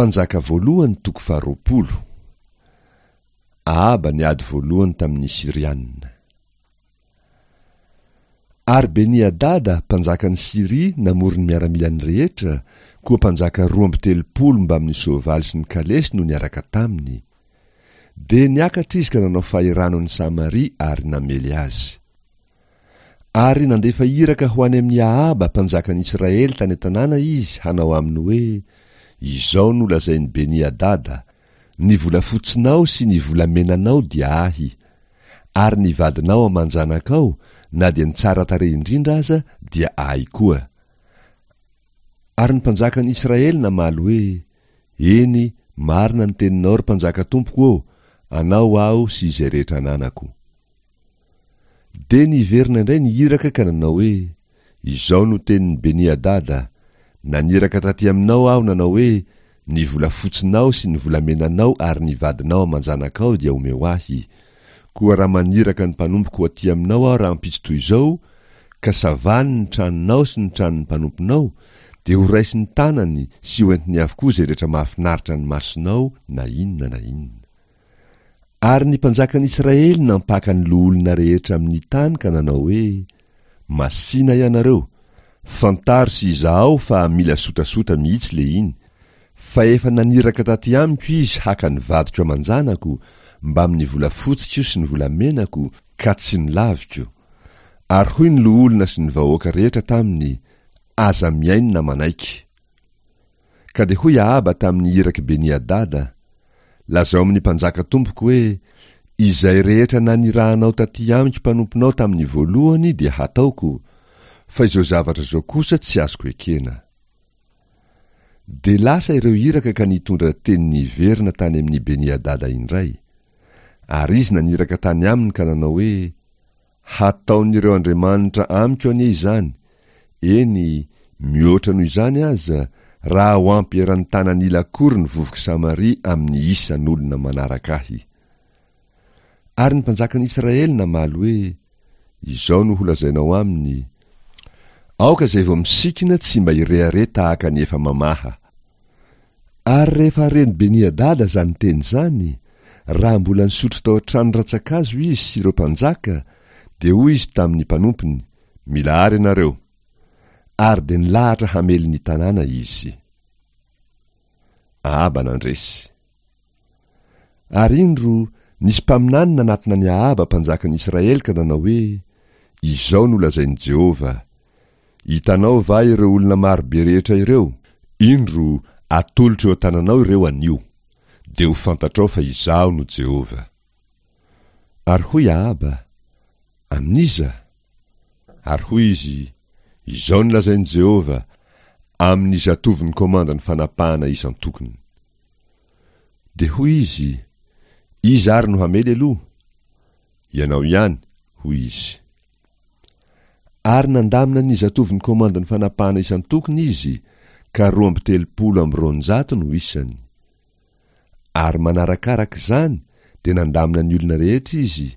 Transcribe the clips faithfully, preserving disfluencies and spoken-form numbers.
Mpanjaka voalohany toko faharoapolo. Ahaba niady voalohany tamin'ny Syriana. Ary Beni-Hadada, mpanjakan'i Syria, namory ny miaramilany rehetra, koa mpanjaka roa amby telopolo mbamin'ny soavaly sy ny kalesy no niaraka taminy. Dia niakatra izy ka nanao fahirano an'i Samaria ary namely azy. Ary nandefa iraka ho any amin'i Ahaba, mpanjakan'i Israely tany an-tanàna izy hanao aminy hoe, Izao no lazain'i Beni-Hadada, Ny volafotsinao sy ny volamenanao dia ahy, ary ny vadinao aman-janakao, na dia ny tsara tarehy indrindra aza, dia ahy koa. Ary ny mpanjakan'i Israely namaly hoe, Eny, marina ny teninao, ry mpanjaka tompoko ô, anao aho sy izay rehetra ananako. Dia niverina indray ny iraka ka nanao hoe, Izao no tenin'i Beni-Hadada, Naniraka taty aminao aho nanao hoe, Ny volafotsinao sy ny volamenanao ary ny vadinao aman-janakao dia omeo ahy. Koa raha maniraka ny mpanompoko ho aty aminao aho rahampitso toy izao, ka savany ny tranonao sy ny tranon'ny mpanomponao, dia horaisiny tanany sy hoentiny avokoa izay rehetra mahafinaritra ny masonao na inona na inona. Ary ny mpanjakan'i Israely nampaka ny loholona rehetra amin'ny tany ka nanao hoe, Masìna ianareo, fantaro sy izahao fa mila sotasota mihitsy le iny, fa efa naniraka taty amiko izy haka ny vadiko aman-janako, mbamin'ny volafotsiko sy ny volamenako, ka tsy nolaviko. Ary hoy ny loholona sy ny vahoaka rehetra taminy, Aza mihaino na manaiky. Ka dia hoy Ahaba tamin'ny irak'i Beni-Hadada, Lazao amin'ny mpanjaka tompoko hoe, Izay rehetra nanirahanao tatỳ amiko mpanomponao tamin'ny voalohany dia hataoko, fa izao zavatra izao kosa tsy azoko ekena. Dia lasa ireo iraka ka nitondra teny niverina tany amin'i Beni-Hadada indray. Ary izy naniraka tany aminy ka nanao hoe, Hataon'ireo andriamanitra amiko anie izany, eny, mihoatra noho izany aza, raha ho ampy eran'ny tanan'ila akory ny vovok'i Samaria amin'ny isan'olona manaraka ahy. Ary ny mpanjakan'i Israely namaly hoe, Izao no holazainao aminy, Aoka izay vao misikina tsy mba hirehareha tahaka ny efa mamaha. Ary rehefa ren'i Beni-Hadada izany teny izany, raha mbola nisotro tao an-trano rantsan-kazo izy sy ireo mpanjaka, dia hoy izy tamin'ny mpanompony, Mila àry ianareo! Ary dia nilahatra hamely ny tanàna izy. Ahaba nandresy. Ary indro, nisy mpaminany nanatona an'i Ahaba mpanjakan'i Israely ka nanao hoe, Izao no lazain'i Jehovah, Hitanao va ireo olona maro be rehetra ireo? Indro, atolotro eo an-tananao ireo anio. Dia ho fantatrao fa Izaho no Jehovah. Ary hoy Ahaba, Amin'iza? Ary hoy izy, Izao no lazain'i Jehovah, Amin'ny zatovon'ny komandan'ny fanapahana isan-tokony. Dia hoy izy, Iza ary no hamely aloha? Ianao ihany, hoy izy. Ary nandamina ny zatovon'ny komandin'ny fanapahana isan-tokony izy, ka roa amby telopolo amby roanjato no isany. Ary manarakaraka izany dia nandamina ny olona rehetra izy,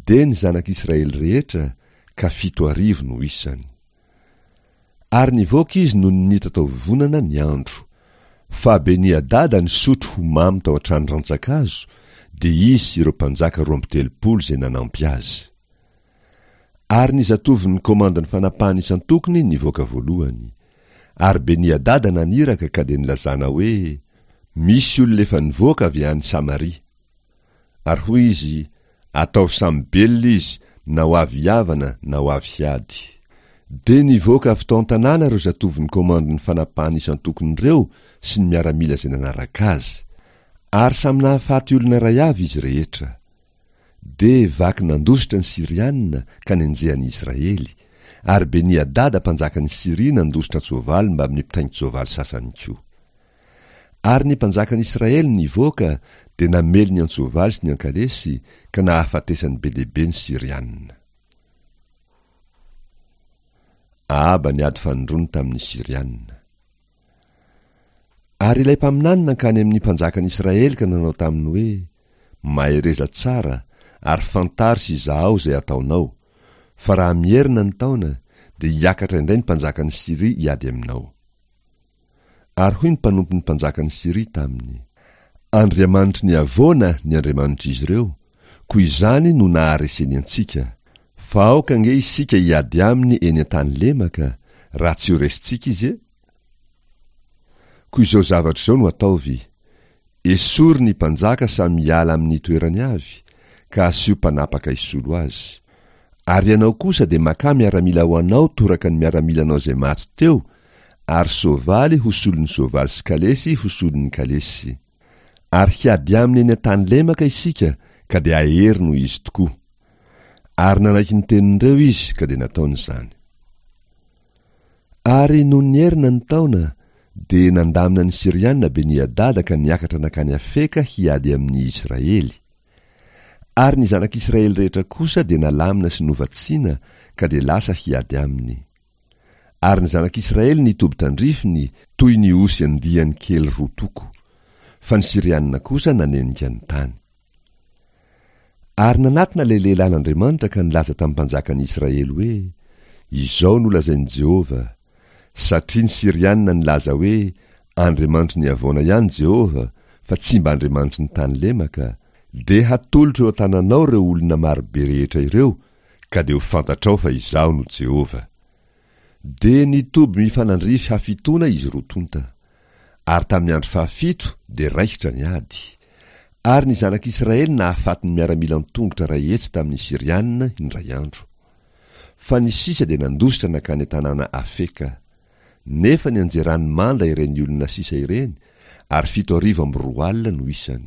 dia ny zanak'Israely rehetra, ka fito arivo no isany. Ary nivoaka izy nony nitataovovonana ny andro. Fa Beni-Hadada nisotro ho mamo tao an-trano rantsan-kazo, dia izy sy ireo mpanjaka roa amby telopolo izay nanampy azy. Ary ny zatovon'ny komandin'ny fanapahana isan-tokony nivoaka voalohany. Ary Beni-Hadada naniraka ka dia nilazana hoe, Misy olona efa nivoaka avy any Samaria. Ary hoy izy, Ataovy samy belona izy, na ho avy hihavana na ho avy hiady. Dia nivoaka avy tao an-tanàna ireo zatovon'ny komandin'ny fanapahana isan-tokony ireo sy ny miaramila izay nanaraka azy. Ary samy nahafaty olona iray avy izy rehetra. Dia vaky nandositra ny Syriana ka nenjehan'ny Israely, ary Beni-Hadada mpanjakan'i Syria nandositra an-tsoavaly mbamin'ny mpitaingin-tsoavaly sasany koa. Ary ny mpanjakan'i Israely nivoaka dia namely ny an-tsoavaly sy ny an-kalesy ka nahafatesany be dia be ny Syriana. Ahaba niady fanindroany tamin'ny Syriana. Ary ilay mpaminany nankany amin'ny mpanjakan'i Israely ka nanao taminy hoe, Mahereza tsara, ary fantaro sy izahao izay ataonao, fa raha mierina ny taona, dia hiakatra indray ny mpanjakan'i Syria hiady aminao. Ary hoy ny mpanompon'ny mpanjakan'i Syria taminy, Andriamanitry ny havoana ny andriamanitr'izy ireo, koa izany no nahareseny antsika. Fa aoka ange isika hiady aminy eny an-tany lemaka, raha tsy ho resintsika izy e! Koa izao zavatra izao no ataovy, esory ny mpanjaka samy hiala amin'ny toerany avy, ka asio mpanapaka hisolo azy. Ary ianao kosa dia makà miaramila ho anao toraka ny miaramilanao izay maty teo, ary soavaly ho solon'ny soavaly sy kalesy ho solon'ny kalesy. Ary hiady aminy eny an-tany lemaka isika, ka dia hahery noho izy tokoa. Ary nanaiky ny tenin'ireo izy, ka dia nataony izany. Ary nony nierina ny taona, dia nandamina ny Syriana Beni-Hadada ka niakatra nankany Afeka hiady amin'ny Israely. Ary ny zanak'Israely rehetra kosa dia nalamina sy novatsiana, ka dia lasa hiady aminy. Ary ny zanak'Israely nitoby tandrifiny toy ny osy andiany kely roa toko, fa ny Syriana kosa nanenika ny tany. Ary nanatona ilay lehilahin'Andriamanitra ka nilaza tamin'ny mpanjakan'ny Israely hoe, Izao no lazain'i Jehovah, Satria ny Syriana nilaza hoe, Andriamanitry ny havoana ihany Jehovah, fa tsy mba Andriamanitry ny tany lemaka, dia hatolotro eo an-tananao ireo olona marobe rehetra ireo, ka dia ho fantatrao fa Izaho no Jehovah. Dia nitoby mifanandrify hafitoana izy roa tonta. Ary tamin'ny andro fahafito dia raikitra ny ady. Ary ny zanak'Israely nahafaty ny miaramila an-tongotra iray hetsy tamin'ny Syriana indray andro. Fa ny sisa dia nandositra nankany an-tanàna Afeka. Nefa nianjeran'ny manda ireny olona sisa ireny, ary fito arivo amby roa alina no isany.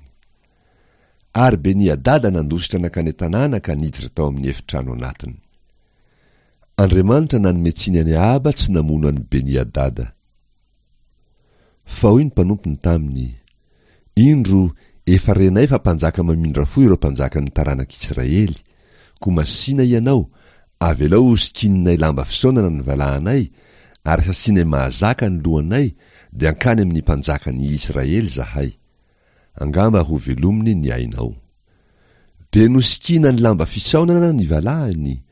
Ary Beni-Hadada nandositra nankany an-tanàna ka niditra tao amin'ny efitrano anatiny. Andriamanitra nanome tsiny an'i Ahaba tsy namono an'i Beni-Hadada. Fa hoy ny mpanompony taminy, Indro, efa renay fa mpanjaka mamindra fo ireo mpanjakan'ny taranak'Israely, koa masìna ianao, avelao hosikininay lamba fisaonana ny valahanay, ary hasianay mahazaka ny lohanay, dia hankany amin'ny mpanjakan'ny Israely izahay. Angamba hovelominy ny ainao. Dia nosikinany lamba fisaonana ny valahany,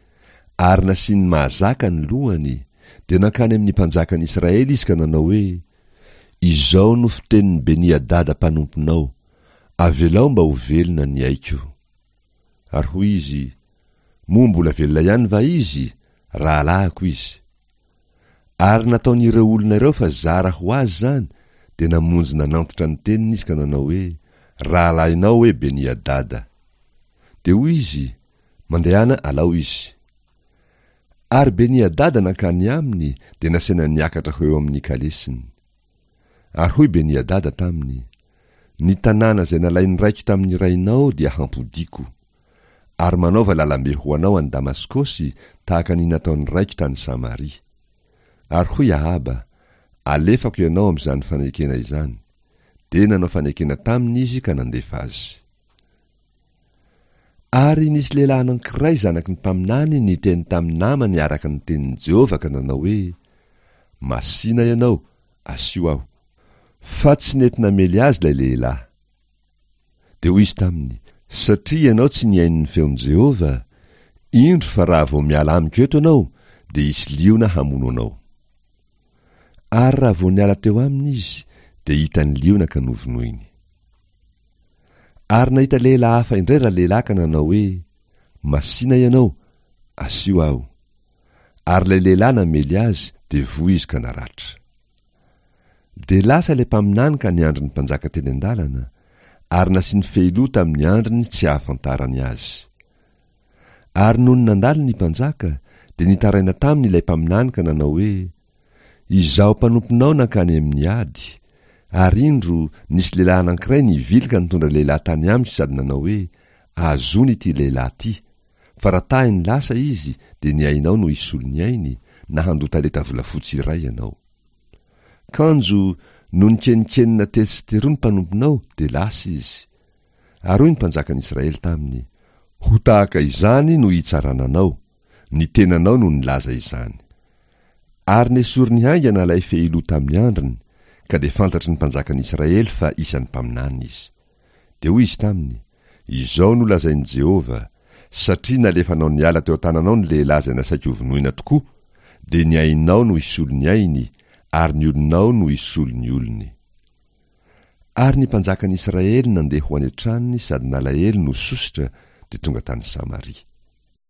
ary nasiany mahazaka ny lohany, dia nankany amin'ny mpanjakan'ny Israely izy ka nanao hoe, Izao no fitenin'i Beni-Hadada mpanomponao, Avelao mba ho velona ny aiko. Ary hoy izy, Moa mbola velona ihany va izy? Rahalahiko izy. Ary nataon'ireo olona ireo fa zara ho azy izany, dia namonjy nanantitra ny teniny izy ka nanao hoe, Rahalahinao hoe Beni-Hadada. Dia hoy izy, Mandehana alao izy. Ary Beni-Hadada nankany aminy, dia nasaina niakatra ho eo amin'ny kalesiny. Ary hoy Beni-Hadada taminy, Ny tanàna izay nalain'ny raiko tamin'ny rainao dia hampodiako. Ary manaova lalambe ho anao any Damaskosy, tahaka ny nataon'ny raiko tany Samaria. Ary hoy Ahaba, Alefako ianao amin'izany fanekena izany. Dia nanao fanekena taminy izy ka nandefa azy. Ary nisy lehilahy anankiray zanaky ny mpaminany niteny tamin'ny namany araka ny tenin'i Jehovah ka nanao hoe, Masìna ianao, asio aho. Fa tsy nety namely azy ilay lehilahy. Dia hoy izy taminy, Satria ianao tsy nihaino ny feon'i Jehovah, indro fa raha vao miala amiko eto ianao, dia hisy liona hamono anao. Ary raha vao niala teo aminy izy, dia hitan'ny liona ka novonoiny. Ary nahita lehilahy hafa indray ralehilahy ka nanao hoe, Masìna ianao, asio aho. Ary ilay lehilahy namely azy, dia voa izy ka naratra. Dia lasa ilay mpaminany ka niandry ny mpanjaka teny an-dalana, ary nasiany fehiloha tamin'ny andriny tsy hahafantarany azy. Ary nony nandalo ny mpanjaka, dia nitaraina taminy ilay mpaminany ka nanao hoe, Izaho mpanomponao nankany amin'ny ady, ary indro, nisy lehilahy anankiray nivily ka nitondra lehilahy tany amiko sady nanao hoe, Azony ity lehilahy ity, fa raha tahiny lasa izy, dia ny ainao no hisolo ny ainy, na handoa talenta volafotsy iray ianao. Kanjo, nony kenikenina tetsy sy teroa ny mpanomponao, dia lasa izy. Ary hoy ny mpanjakan'i Israely taminy, Ho tahaka izany no hitsarana anao, ny tenanao no nilaza izany. Ary nesoriny haingana ilay fehiloha tamin'ny andriny, ka dia fantatry ny mpanjakan'i Israely fa isan'ny mpaminany izy. Dia hoy izy taminy, Izao no lazain'i Jehovah, Satria nalefanao niala teo an-tananao ny lehilahy izay nasaiko hovonoina tokoa, dia ny ainao no hisolo ny ainy, ary ny olonao no hisolo ny olony. Ary ny mpanjakan'ny Israely nandeha ho any an-tranony sady nalahelo no sosotra, dia tonga tany Samaria.